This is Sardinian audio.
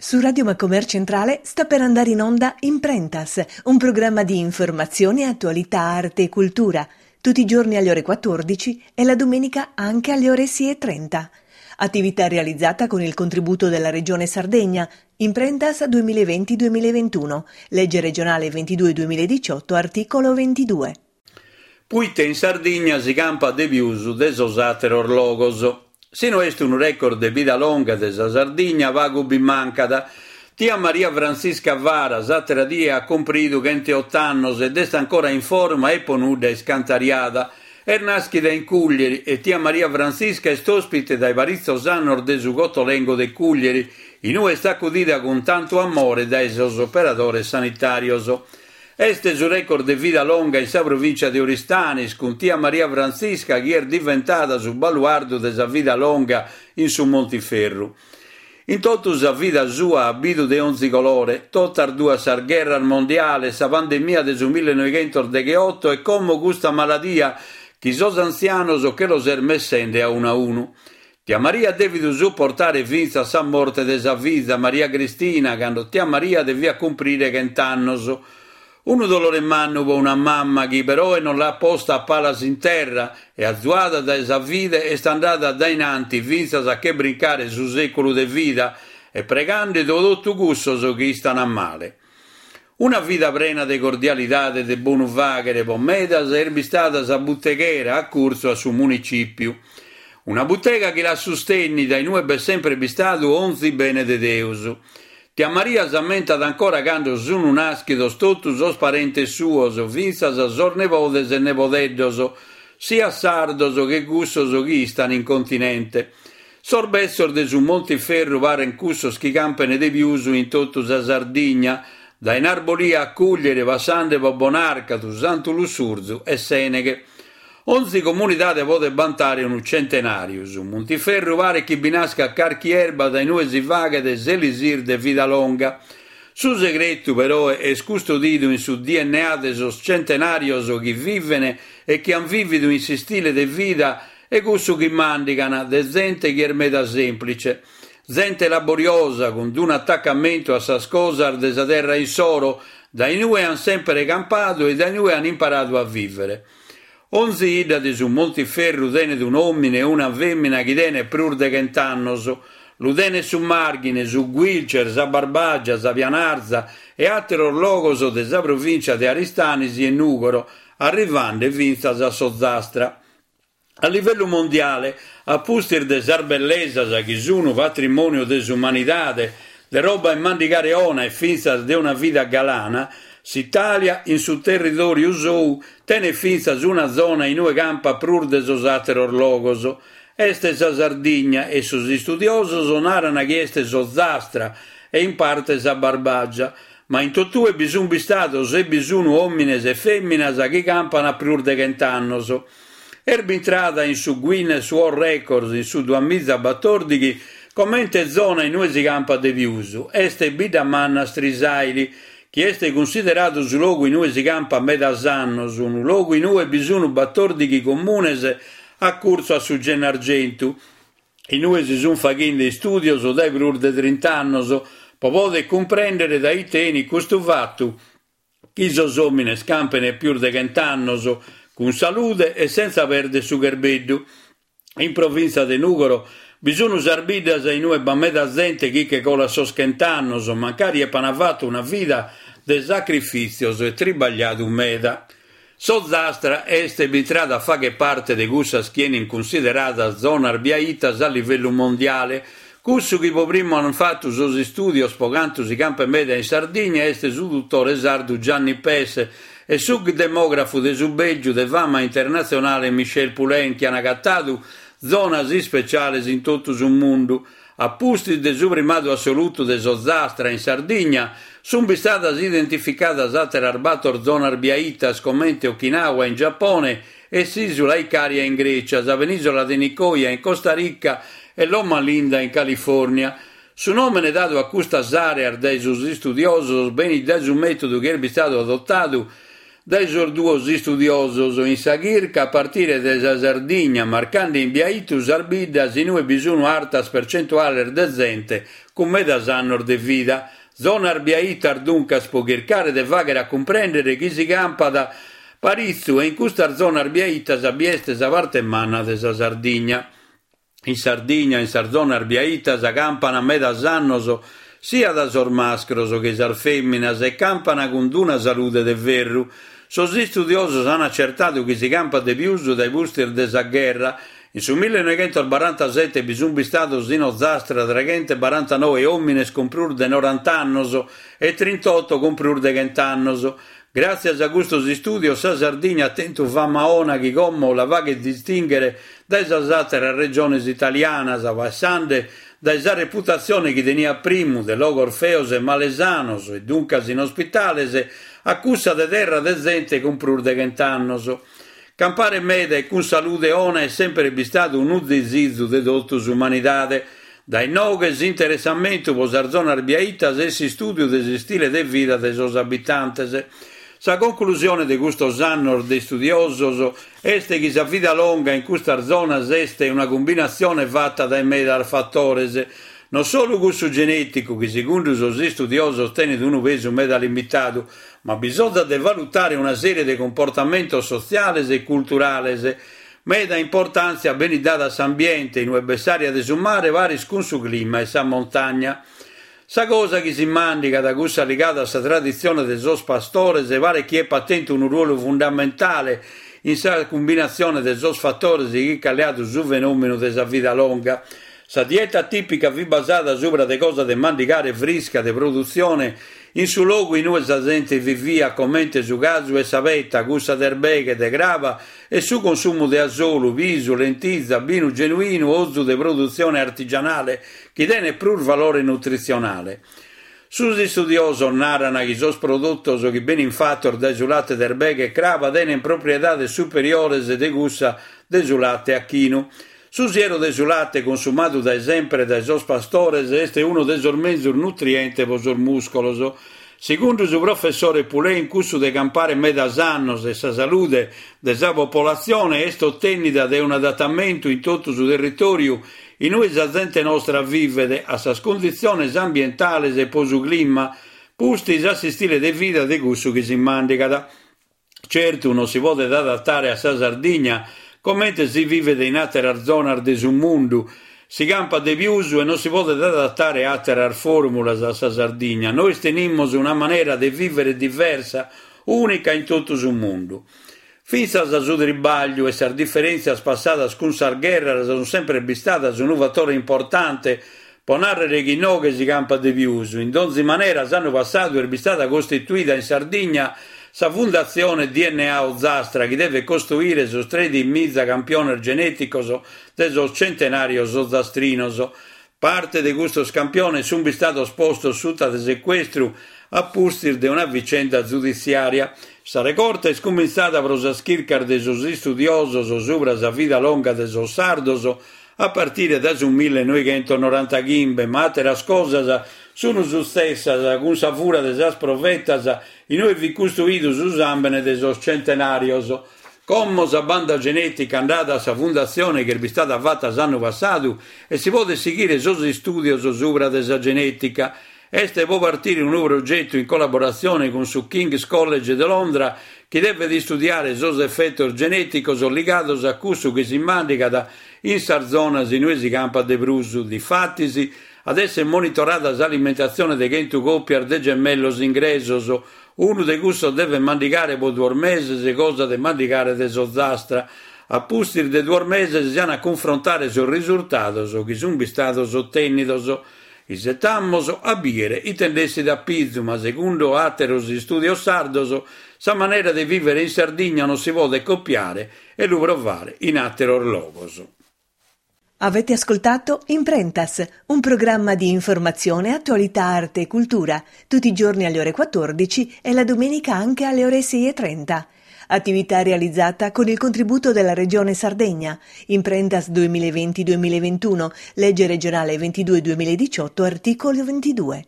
Su Radio Macomer Centrale sta per andare in onda Imprentas, un programma di informazione, attualità, arte e cultura, tutti i giorni alle ore 14 e la domenica anche alle ore 6.30. Attività realizzata con il contributo della Regione Sardegna, Imprentas 2020-2021, legge regionale 22-2018, articolo 22. Puite in Sardigna si campat de pius de sos àteros logos. Si no est unu record de vida longa de sa Sardigna pagu bi mancat. Tia Maria Frantzisca Fara s'àtera die at cumpridu chent'e-ot'annos ed est ancora in forma e po nudda iscantariada. Est nàschida in Cùglieri e tia Maria Frantzisca est òspite dae paritzos annos de su Cotolengo de Cùglieri, in ue est acudida cun tantu amore dae sos operadores sanitàrios. Est su record de vida longa in sa provìncia de Oristanis, cun tia Maria Frantzisca chi est diventada su baluardu de sa vida longa in su Montiferru. In totu sa vida sua at bidu de onzi colore, totas duas sas gherras mondiales, sa pandemia de su millenoighentosdegheoto e como custa maladia chi sos antzianos che los est messende a unu a unu. Tia Maria at dèvidu suportare fintzas sa morte de sa fiza Maria Cristina cando tia Maria deviat cumprire chent'annos. Unu dolore mannu pro una mamma chi peroe non l'at posta a palas in terra e azuada dae sa fide est andada dae in anti fintzas a che brincare su sèculu de vida e pregande pro totu cussos chi istan male. Una vida prena de cordialidade e de bonu fàghere po medas est bistada sa buteghera a curtzu a su municìpiu. Una butega chi l'at sustènnida in ue b'est sempre bistadu onzi bene de Deus. Tia Maria s'ammentat ancora cando sunu nàschidos totu sos parentes suos, fintzas sos nebodes e nebodeddos, siat sardos che cussos chi istan in continente. Sos betzos de su Montiferru paren cussos chi campen de pius in totu sa Sardigna, dae Narbolia a Cuglieri passande po Bonàrcadu, Santu Lussurzu e Sèneghe. Onzi comunidade podet bantare unu centenàriu. Su Montiferru paret chi bi nascat carchi erba dae inue si faghet s'elisir de vida longa. Su segretu, peroe, est custodidu in su dna de sos centenàrios chi viven e chi an vìvidu in s'istile de vida E cussu chi màndigan de zente chi est meda sèmplice. Zente laboriosa, cun d'un'atacamentu a sas cosas de sa terra issoro, dae inue an sèmpere campadu e dae inue an imparadu a vìvere. Onzi 'idda de su Montiferru tenet un'òmine o una fèmina chi tenet prus de chent'annos. Lu tenet su Màrghine, su Guilcer, sa Barbàgia, sa Pianarza e àteros logos de sa provìncia de Aristanis e Nùgoro, arrivande fintzas a s'Ozastra. A livellu mondiale, a pustis de sas bellesas chi sunu patrimòniu de s'umanidade, de roba 'e mandigare 'ona e fintzas de una vida galana, s'Itàlia, in su territòriu sou, tenet fintzas una zona inue campat prus de sos àteros logos. Est sa Sardigna e sos istudiosos naran chi est s'Ozastra e in parte sa Barbàgia, ma in totue bi sun bistados e bi sunu òmines e fèminas chi campan a prus de chent'annos. Est bintrada in su Guinness World Records in su duamizabatòrdighi comente zona in ue si campat de pius. Est Biddamanna Strisàili, chi est cunsideradu su logu in ue si campat medas annos, unu logu in ue bi sun batòrdighi comunes a curtzu a su Gennargentu, in ue si sunt faghende istùdios dae prus de trint'annos pro poder cumprèndere dae ite 'enit custu fatu chi sos òmines campen pius de chent'annos cun salude e sentza perder su cherbeddu. In provìntzia de Nùgoro bi sun sas biddas in ue b'at meda zente chi che colat sos chent'annos, mancari epan fatu una vida de sacrifìtzios e tribagliadu meda. S'Ozastra est bintrada a fagher parte de cussas chi 'enin cunsideradas zonas biaitas a livellu mondiale. Cussu chi po primu an fatu sos istùdios po cantu si campet meda in Sardigna est su dutore sardu Gianni Pes e su demògrafu de su Bèlgiu de fama internatzionale Michel Poulain chi an agatadu zonas ispeciales in totu su mundu. A pustis de su primadu assolutu de s'Ozastra in Sardigna, sunt bistadas identificadas àteras bator zonas biaitas comente Okinawa in Giapone e s'ìsula Icària in Grècia, sa penìsula de Nicoya in Costa Rica e Loma Linda in Califòrnia. Su nòmene dadu a custas àreas dae sos istudiosos benit dae su mètodu chi est bistadu adotadu. dae sos duos istudiosos in sa chirca a partire dae sa Sardigna marcande in biaitu sas biddas in ue bi sunu artas percentuales de zente cun medas annos de vida. Zonas biaitas duncas pro chircare de fàghere a cumprèndere chi si campat paritzu e in custas zonas biaitas bi est sa parte manna de sa Sardigna. In Sardigna, in sas zonas biaitas, campana medas annos siat sos mascros che sas fèminas e campana cun d'una salude de ferru. Sos istudiosos an acertadu chi si campat de pius dae pustis de sa gherra. In su millenoighentosbarantasete bi sun bistados in Ozastra treghentosbarantanoe òmines cun prus de norant'annos e trintoto cun prus de chent'annos. Gràtzias a custos istùdios sa Sardigna at tentu fama 'ona chi como la faghet distìnghere dae sas àteras regiones italianas, passende dae sa reputatzione chi teniat primu de logos feos e malesanos e duncas inospitales a cussa de terra de zente cun prus de chent'annos. Campare meda e cun salude 'ona est semper bistadu unu disizu de totu s'umanidade. Dae inoghe s'interessamentu pro sas zonas biaitas e s'istùdiu de s'istile de vida de sos abitantes. Sa conclusione de custos annos de istudiosos est chi sa vida longa in custas zonas est una cumbinatzione fata dae medas fatores, non solu cussu genèticu chi segundu sos istudiosos tenet unu pesu meda limitadu, ma bisonzat de valutare una sèrie de cumportamentos sotziales e culturales. Meda importàntzia benit dada a s'ambiente, in ue b'est s'ària de su mare paris cun su clima e sa montagna. Sa cosa chi si màndigat, cussa ligada a sa traditzione de sos pastores, paret chi epat tentu unu ruolu fundamentale in sa cumbinatzione de sos fatores chi ch'at leadu su fenòmenu de sa vida longa. Sa dieta tìpica fit basada subra de cosa de mandigare frisca de produtzione in su logu in ue sa zente viviat comente su casu e sa peta, cussa de erbeghe, de craba e su consumu de asolu, pisu, lentiza, binu genuinu, ozu de produtzione artigianale chi tenet prus valore nutritzionale. Sos istudiosos naran chi sos produtos chi benin fatos dae su late de erbeghe e craba tenen propriedades superiores de cussa de su late 'achinu. Su sieru de su late consumadu dae sempre dae sos pastores est unu de sos menzus nutrientes pro sos mùscolos. Segundu su professore Pullen cussu de campare medas annos e sa salude de sa popolatzione est otènnida de un'adatamentu in totu su territòriu in ue sa zente nostra vivet, a sas cunditziones ambientales e pro su clima, pustis a s'istile de vida de cussu chi si màndigat. Certu non si podet adatare a sa Sardigna comente si vivet in àteras zonas de su mundu, si campat de pius e non si podet adatare àteras fòrmulas a sa Sardigna, nois tenimus una manera de vìvere diversa, ùnica in totu su mundu. Fintzas su tribagliu e sas diferèntzias passadas cun sas gherras sunt semper bistadas unu fatore importante pro nàrrere chi inoghe si campat de pius. In donzi manera s'annu passadu est bistada costituida in Sardigna sa Fundatzione DNA Ozastra chi devet costoire sos tredighimiza campiones genèticos de sos centenàrios ozastrinos. Parte de custos campiones sunt bistados postos suta de secuestru a pustis de una vicenda zuditziària. Sa regorta est cumintzada pro sas chircas de sos istudiosos subra sa vida longa de sos sardos a partire dae su millenoighentosnorantachimbe, ma àteras cosas sunt sutzessas cun sa fura de sas provetas in ue fit custoidu su sàmbene de sos centenàrios. Como sa banda genètica andada a sa fundatzione chi est bistada fata s'annu passadu e si podet sighire sos istùdios subra de sa genètica. Est pro partire unu progetu in collaboratzione cun su King's College de Londra chi devet istudiare sos efetos genèticos ligados a cussu chi si màndigat in sas zonas in ue si campat de prus. Difatis, at èssere monitorada s'alimentatzione de chentu còpias de gemellos ingresos, unu de cussos devet mandigare pro duos meses cosa de mandigare de s'Ozastra. A pustis de duos meses si an a cunfrontare sos risurtados chi sunt bistados otènnidos. Isetamos a bìere ite nd'essit a pizu, ma segundu àteros istùdios sardos, sa manera de vìvere in Sardigna non si podet copiare e lu provare in àteros logos. Avete ascoltato Imprentas, un programma di informazione, attualità, arte e cultura, tutti i giorni alle ore 14 e la domenica anche alle ore 6.30. Attività realizzata con il contributo della Regione Sardegna. Imprentas 2020-2021, legge regionale 22 2018, articolo 22.